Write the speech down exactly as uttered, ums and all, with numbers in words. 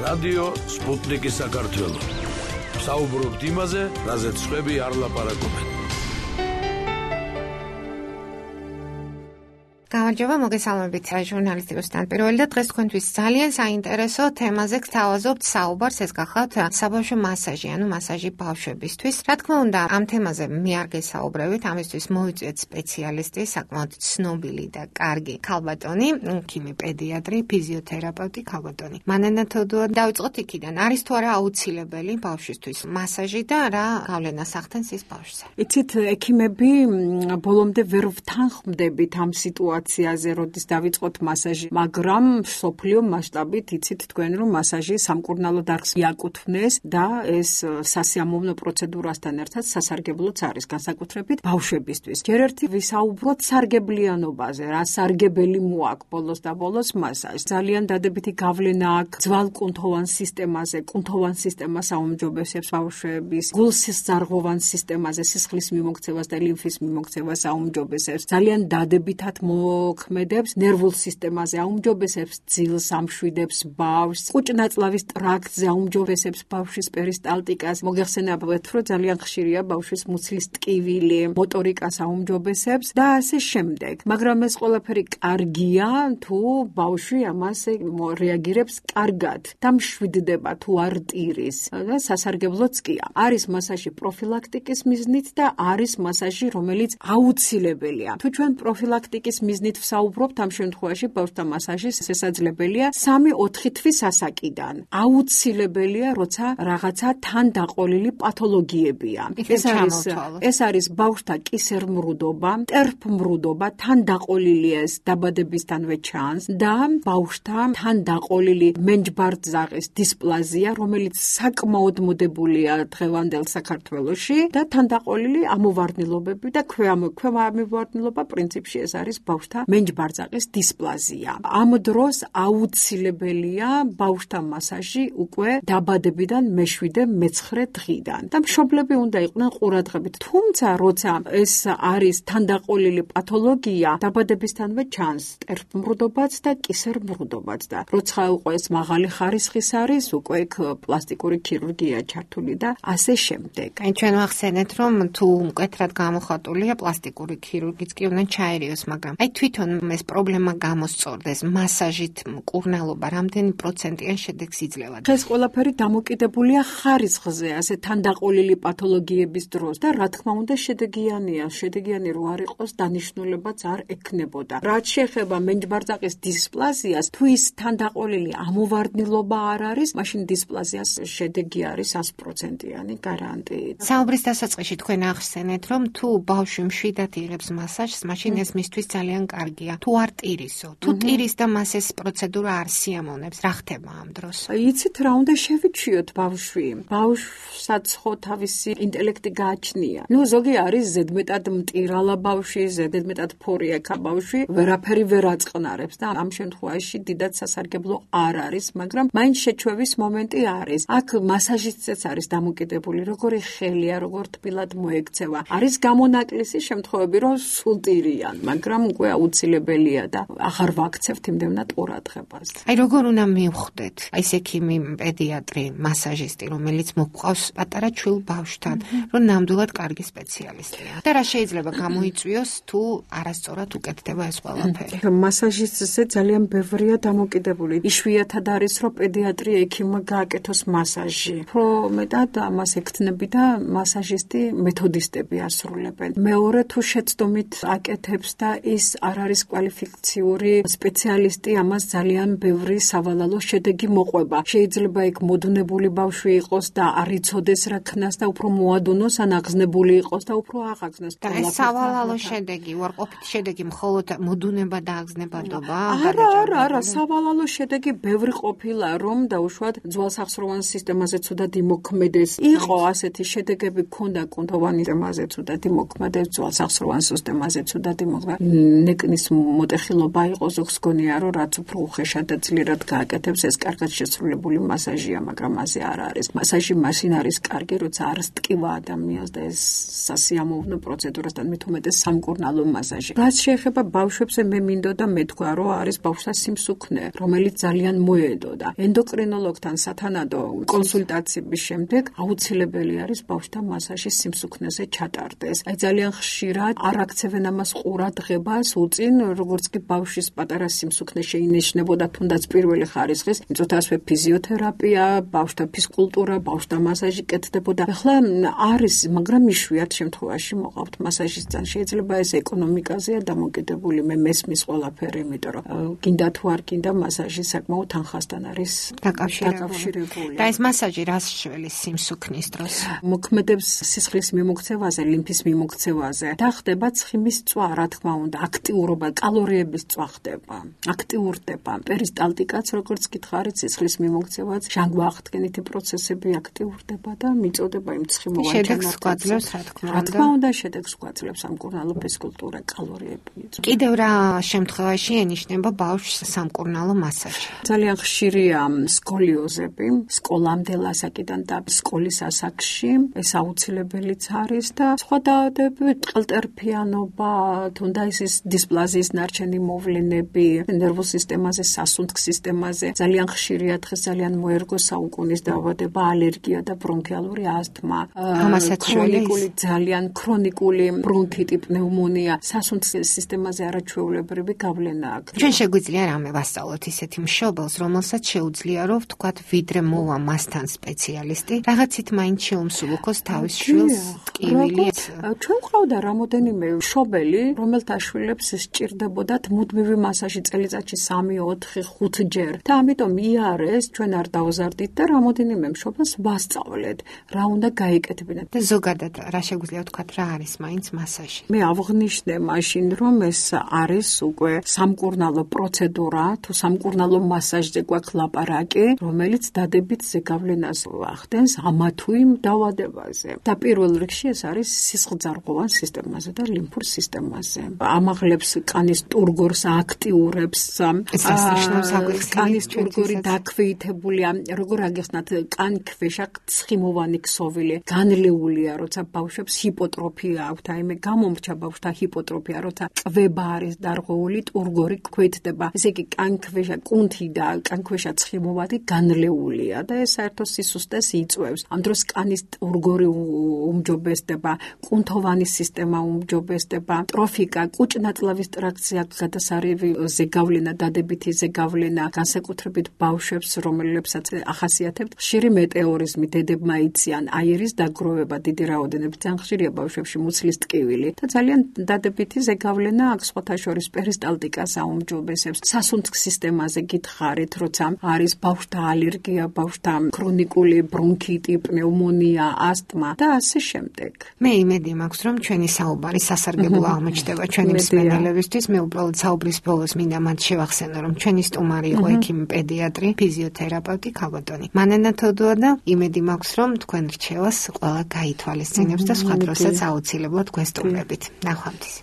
რადიო სპუტნიკი საქართველო. საუბრობთ იმაზე, რაზეც სხვები არ ლაპარაკობენ. გამარჯობა, მოგესალმებით ჟურნალისტი რუსთან პირველი და დღეს თქვენთვის ძალიან საინტერესო თემაზე გთავაზობთ საუბარს. ეს გახლავთ საბავშვო მასაჟი, ანუ მასაჟი ბავშვებისთვის. რა თქმა უნდა, ამ თემაზე მე არ გესაუბრებით, ამისთვის მოვიწვიეთ სპეციალისტი, საკმაოდ ცნობილი და კარგი ქალბატონი, ქიმი პედიატრი, ფიზიოთერაპევტი ქალბატონი. მანანა თოდუა, დავიწყოთ იქიდან. არის თუ არა აუცილებელი ბავშვისთვის მასაჟი და რა გავლენას ახდენს ის ბავშვზე? იცით, ექიმები ბოლომდე ვერ ვთანხმდებით ამ სიტუაციას. როდის დავიწყოთ მასაჟი, მაგრამ სოფლიო მასშტაბით იცით თქვენ, რომ მასაჟი სამკურნალო დარგს აკუთვნეს და ეს სასიამოვნო პროცედურასთან ერთად სასარგებლოც არის, განსაკუთრებით ბავშვებისთვის. ჯერ ერთი ვისაუბროთ სარგებლიანობაზე, რა სარგებელი მოაქვს ბოლოს და ბოლოს მასაჟს. ძალიან დადებითი გავლენა აქვს ძვალკუნთოვან სისტემაზე, კუნთოვან სისტემას აუმჯობესებს ბავშვების, გულსისძარღვოვან სისტემაზე, სისხლის მიმოქცევას და ლიმფის მიმოქცევას აუმჯობესებს. ძალიან დადებითად მოქმედებს ნერვულ სისტემაზე, აუმჯობესებს ძილს, ამშვიდებს ბავშვს, ყუჭნაწლავის ტრაქტზე აუმჯობესებს ბავშვის პერისტალტიკას. მოგეხსენებათ, რომ ძალიან ხშირია ბავშვის მუცლის ტკივილი, მოტორიკას აუმჯობესებს და ასე შემდეგ. მაგრამ ეს ყველაფერი კარგია, თუ ბავშვი ამას რეაგირებს კარგად და მშვიდდება თუ არ ტირის და სასარგებლოც კია. არის მასაჟი პროფილაქტიკის მიზნით და არის მასაჟი, რომელიც აუცილებელია. თუ ჩვენ პროფილაქტიკის მიზნით ვსაუბრობთ, ამ შემთხვევაში ბავშვთა მასაჟი შესაძლებელია სამი-ოთხი თვის ასაკიდან. აუცილებელია, როცა რაღაცა თან დაყოლილი პათოლოგიებია. ეს არის ეს არის ბავშვთა კისერმრუდობა, მტერფმრუდობა, თან დაყოლილია ეს დაბადებისთანვე ჩანს და ბავშვთა თან დაყოლილი მენჯბარძაღის დისპლაზია, რომელიც საკმაოდ მოდებულია დღევანდელ საქართველოში და თან დაყოლილი ამოვარდნილობები და ქვემავარდნილობა პრინციპში ეს არის ბავშვთა მენჯბარძაღის დისპლაზია. ამ დროს აუცილებელია ბავშვთა მასაჟი უკვე დაბადებიდან მეშვიდე მეცხრე დღიდან და მშობლები უნდა იყვნენ ყურადღებით. თუმცა, როცა ეს არის თანდაყოლილი პათოლოგია, დაბადებისთანვე ჩანს მტერფმრუდობაც და კისერმრუდობაც და როცა უკვე ეს მაღალი ხარისხის არის, უკვე იქ პლასტიკური ქირურგია ჩართული და ასე შემდეგ. აი ჩვენ ვახსენეთ, რომ თუ მკვეთრად გამოხატულია პლასტიკური ქირურგიც კი უნდა ჩაერიოს, მაგრამ აი თვითონ ეს პრობლემა გამოსწორდეს, მასაჟით მკურნალობა რამდენი პროცენტიან შედეგს იძლევა? ეს ყველაფერი დამოკიდებულია ხარისხზე, ასე თანდაყოლილი პათოლოგიების დროს და რა თქმა უნდა შედეგიანია. შედეგიანი რო არ იყოს, დანიშნულებაც არ ექნებოდა. რაც შეეხება მენჯბარძაღის დისპლაზიას, თუ ის თანდაყოლილი ამოვარდნილობა არ არის, მაშინ დისპლაზიას შედეგი არის sto პროცენტიანი გარანტიით. საუბრის დასაწყისში თქვენ ახსენეთ, რომ თუ ბავშვი მშვიდად იღებს მასაჟს, მაშინ ეს მისთვის ძალიან კარგია. თუ არ ტირისო, თუ ტირის და მას ეს პროცედურა არ სიამოვნებს, რა ხდება ამ დროს? იცით რა უნდა შევიჩიოთ ბავშვი? ბავშვსაც ხო თავისი ინტელექტი გააჩნია. ნუ ზოგი არის ზედმეტად მტირალა ბავშვი, ზედმეტად ფორიაქა ბავშვი, ვერაფერი ვერ აწყნარებს და ამ შემთხვევაში დიდად სასარგებლო არ არის, მაგრამ მაინც შეჩვევის მომენტი არის. აქ მასაჟისტიც არის დამოკიდებული, როგორი ხელია, როგორ თბილად მოექცევა. არის გამონაკლისი შემთხვევები, რომ სულ ტირიან, მაგრამ უკვე აუცილებელია და აღარ ვაქცევთ იმდენად ყურადღებას. აი როგორ უნდა მივხვდეთ? აი ეს ექიმი, პედიატრი, მასაჟისტი, რომელიც მოყავს პატარა ჩვილ ბავშვთან, რომ ნამდვილად კარგი სპეციალისტია. და რა შეიძლება გამოიწვიოს, თუ არასწორად უკეთდება ეს ყველაფერი? მასაჟისტზე ძალიან ბევრია დამოკიდებული. იშვიათად არის, რომ პედიატრი ექიმმა გააკეთოს მასაჟი. უფრო მეტად ამას ექთნები და მასაჟისტი მეთოდისტები ასრულებენ. მეორე თუ შეცდომით აკეთებს და ის არ არის კვალიფიციური სპეციალისტი, ამას ძალიან ბევრი სავალალო შედეგი მოყვება. შეიძლება იქ მოდუნებული ბავშვი იყოს და არ იცოდეს რა ქნას და უფრო მოადუნოს, ან აღზნებული იყოს და უფრო აღაგზნოს. და ეს სავალალო შედეგი, უარყოფითი შედეგი მხოლოდ მოდუნება და აღზნებადობა? არა, არა, არა, სავალალო შედეგი ბევრი ყოფილა, რომ დაუშვათ ძვალსახსროვან სისტემაზე ცუდად იმოქმედეს. იყო ასეთი შედეგები, ქონდა კუნთოვანი სისტემაზე ცუდად იმოქმედეს, ძვალსახსროვან სისტემაზე ცუდად იმოქმედეს. დეკნის მოტეხილობა იყო, ზოგს გონია, რომ რაც უფრო უხეშად და ძლიერად გააკეთებს, ეს კარგად შესრულებული მასაჟია, მაგრამ მასე არ არის. მასაჟი მაშინ არის კარგი, როცა არის ტკივა ადამიანს და ეს სასიამოვნო პროცედურასთან მით უმეტეს სამკურნალო მასაჟი. რაც შეეხება ბავშვებზე, მე მინდოდა მეთქვა, რომ არის ბავშვთა სიმსუქნე, რომელიც ძალიან მოედოდა. ენდოკრინოლოგთან სათანადო კონსულტაციების შემდეგ აუცილებელი არის ბავშვთა მასაჟი სიმსუქნეზე ჩატარდეს. აი ძალიან ხშირად არ აქცევენ ამას ყურადღებას უწინ, როგორც კი ბავშვის პატარა სიმსუქნე შეინიშნებოდა, თუნდაც პირველი ხარისხის, იწოთა ასევე ფიზიოთერაპია, ბავშვთა ფიზკულტურა, ბავშვთა მასაჟი კეთდებოდა. ახლა არის, მაგრამ იშვიათ შემთხვევაში მოყავთ მასაჟისთან. შეიძლება ეს ეკონომიკაზეა დამოკიდებული, მე მესმის ყველაფერი, იმიტომ რომ გინდა თუ არ გინდა მასაჟი საკმაოდ თანხასთან არის დაკავშირებული. და ეს მასაჟი რას შველის სიმსუქნის დროს? მოქმედებს სისხლის მიმოქცევაზე, ლიმფის მიმოქცევაზე და ხდება ცხიმის წვა, რა თქმა უნდა, აქტიურობა, კალორიების წვა ხდება, აქტიურდება. პერისტალტიკაც, როგორც გითხარით, სისხლის მიმოქცევაც, ჟანგბახთქენითი პროცესები აქტიურდება და მიწოდება იმ ცხიმოვან შედეგს გვაძლევს, რა თქმა უნდა. რა თქმა უნდა, შედეგს გვაძლევს სამკურნალო ფიზკულტურა, კალორიები. კიდევ რა შემთხვევაში ენიშნება ბავშვს სამკურნალო მასაჟი? ძალიან ხშირია სკოლიოზები, სკოლამდე ლასაკიდან და სკოლის ასაკში, ეს აუცილებელიც არის და სხვა დაავადებები, ტყელტერფიანობა, თუნდაც ის დისპლაზიის ნარჩენი მოვლენები, ნერვულ სისტემაზე, სასუნთქ სისტემაზე, ძალიან ხშირია დღეს ძალიან მოერგო საუკუნის დაავადება, ალერგია და ბრონქიალური ასთმა, ქრონიკული, ძალიან ქრონიკული ბრონქიტი, პნევმონია, სასუნთქ სისტემაზე არაჩვეულებრივი გავლენა აქვს. ჩვენ შეგვიძლია რამე ვასწავლოთ ისეთი მშობელს, რომელსაც შეუძლია რომ ვთქვათ, ვიდრე მოვა მასთან სპეციალისტი, რაღაცით მაინც შეუმსუბუქოს თავის შვილს ტკივილი. ჩვენ ყავდა რამოდენიმე მშობელი, რომელთა შვილებს სჭირდებოდათ მუდმივი მასაჟი წელიწადში სამი, ოთხი, ხუთი ჯერ. და ამიტომ იარეს, ჩვენ არ დავზარდით და რამოდენიმე მშობელს ვასწავლეთ, რა უნდა გაიკეთებინათ. და ზოგადად რა შეგვიძლია ვთქვათ, რა არის მაინც მასაჟი? მე ავღნიშნე მაშინ, რომ ეს არის უკვე სამკურნალო პროცედურა, თუ სამკურნალო მასაჟზე გვაქვს ლაპარაკი, რომელიც დადებით ზეგავლენას ახდენს ამა თუ იმ დაავადებაზე. და პირველ რიგში ეს არის სისხლძარღვოვან სისტემაზე და ლიმფურ სისტემაზე. ამაღლებს კანის ტურგორს, აქტიურებს, კანის ტურგორი დაქვეითებულია, როგორ აგეხსნათ, კანქვეშა ცხიმოვანი ქსოვილი, განლეულია, როცა ბავშვებს ჰიპოტროფია აქვთ, აი მე გამომრჩა ბავშვთა ჰიპოტროფია, როცა კვება არის დარღვეული, ტურგორი ქვეითდება. ესე იგი კანქვეშა კუნთი და კანქვეშა ცხიმოვანი განლეულია და ეს საერთოდ სისუსტეს იწვევს. ამ დროს კანის ტურგორი უმჯობესდება, კუნთოვანი სისტემა უმჯობესდება, ტროფიკა, კუჭნაწლავის ტრაქცია, გადასარევი ზეგავლენა, დადებითი ზეგავლენა, განსაკუთრებით ბავშვებს, რომლებსაც ახასიათებთ ხშირი მეტეორიზმი, დებმა იციან, აირის დაგროვება, დიდი რაოდენობით, ძალიან ხშირია ბავშვებში მუცლის ტკივილი და ძალიან დადებითი ზეგავლენა აქვს, სხვათა შორის პერისტალტიკას აუმჯობესებს. სასუნთქ სისტემაზე გითხარით, როცა არის ბავშვთა ალერგია, ბავშვთა ქრონიკული ბრონქიტი, პნევმონია, ასთმა და ასე შემდეგ. მე იმედი მაქვს, რომ ჩვენი საუბარი სასარგებლო აღმოჩნდება ჩვენი მსმენელებისთვის. მე უბრალოდ საუბრის ბოლოს მინდა მათ შევახსენო, რომ ჩვენი სტუმარი იყო ექიმი პედიატრი, ფიზიოთერაპევტი ქალბატონი მანენა თოდუადა. იმედი მაქვს, რომ თქვენ რჩევას ყველა გაითვალისწინებს და სხვა დროსაც აუცილებლად გვესტუმრებით. ნახვამდის.